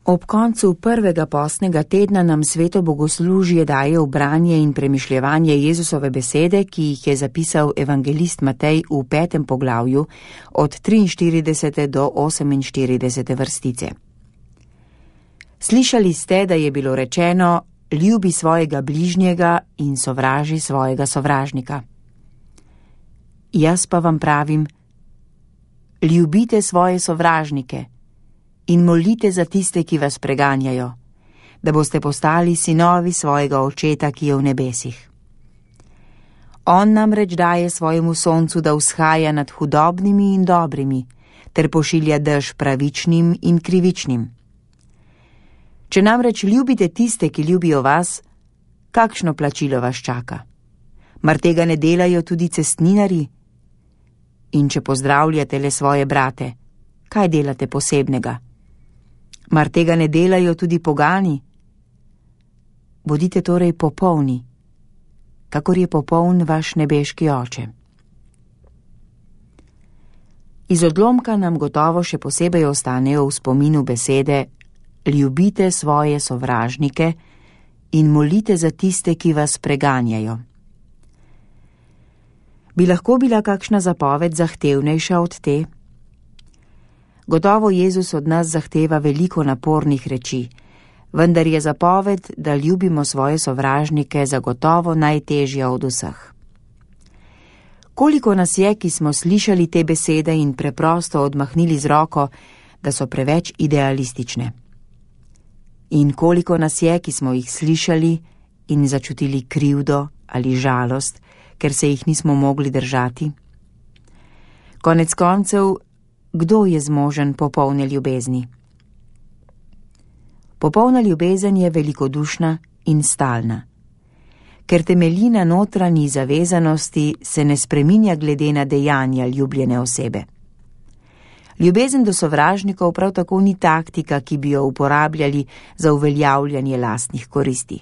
Ob koncu prvega postnega tedna nam sveto bogoslužje daje v branje in premišljevanje Jezusove besede, ki jih je zapisal evangelist Matej v 5. poglavju od 43. do 48. vrstice. Slišali ste, da je bilo rečeno: ljubi svojega bližnjega in sovraži svojega sovražnika. Jaz pa vam pravim: ljubite svoje sovražnike in molite za tiste, ki vas preganjajo, da boste postali sinovi svojega Očeta, ki je v nebesih. On namreč daje svojemu soncu, da vzhaja nad hudobnimi in dobrimi, ter pošilja dež pravičnim in krivičnim. Če namreč ljubite tiste, ki ljubijo vas, kakšno plačilo vas čaka? Mar tega ne delajo tudi cestninarji? In če pozdravljate le svoje brate, kaj delate posebnega? Mar tega ne delajo tudi pogani? Bodite torej popolni, kakor je popoln vaš nebeški Oče. Iz odlomka nam gotovo še posebej ostanejo v spominu besede: ljubite svoje sovražnike in molite za tiste, ki vas preganjajo. Bi lahko bila kakšna zapoved zahtevnejša od te? Gotovo Jezus od nas zahteva veliko napornih reči, vendar je zapoved, da ljubimo svoje sovražnike, zagotovo najtežja od vseh. Koliko nas je, ki smo slišali te besede in preprosto odmahnili z roko, da so preveč idealistične? In koliko nas je, ki smo jih slišali in začutili krivdo ali žalost, ker se jih nismo mogli držati? Konec koncev, kdo je zmožen popolne ljubezni? Popolna ljubezen je velikodušna in stalna. Ker temelji na notranji zavezanosti, se ne spreminja glede na dejanja ljubljene osebe. Ljubezen do sovražnikov prav tako ni taktika, ki bi jo uporabljali za uveljavljanje lastnih koristi.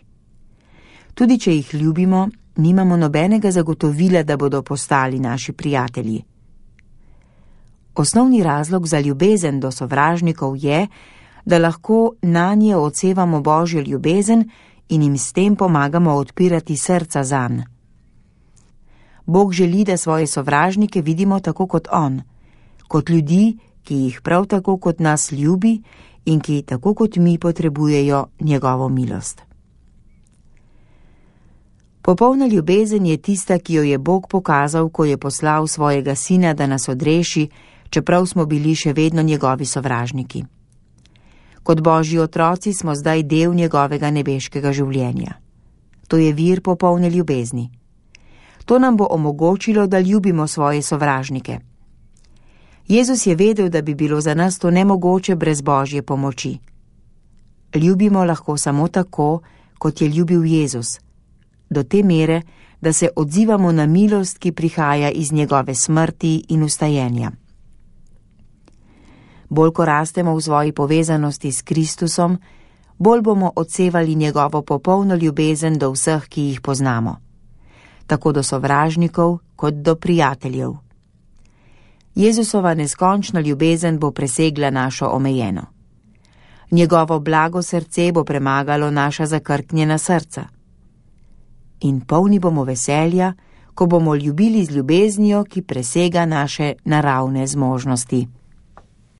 Tudi če jih ljubimo, nimamo nobenega zagotovila, da bodo postali naši prijatelji. Osnovni razlog za ljubezen do sovražnikov je, da lahko nanje odsevamo Božjo ljubezen in jim s tem pomagamo odpirati srca zanj. Bog želi, da svoje sovražnike vidimo tako kot On, kot ljudi, ki jih prav tako kot nas ljubi in ki tako kot mi potrebujejo njegovo milost. Popolna ljubezen je tista, ki jo je Bog pokazal, ko je poslal svojega Sina, da nas odreši, čeprav smo bili še vedno njegovi sovražniki. Kot Božji otroci smo zdaj del njegovega nebeškega življenja. To je vir popolne ljubezni. To nam bo omogočilo, da ljubimo svoje sovražnike. Jezus je vedel, da bi bilo za nas to nemogoče brez Božje pomoči. Ljubimo lahko samo tako, kot je ljubil Jezus, do te mere, da se odzivamo na milost, ki prihaja iz njegove smrti in vstajenja. Bolj ko rastemo v svoji povezanosti s Kristusom, bolj bomo odsevali njegovo popolno ljubezen do vseh, ki jih poznamo, tako do sovražnikov kot do prijateljev. Jezusova neskončna ljubezen bo presegla našo omejeno. Njegovo blago srce bo premagalo naša zakrknjena srca. In polni bomo veselja, ko bomo ljubili z ljubeznijo, ki presega naše naravne zmožnosti.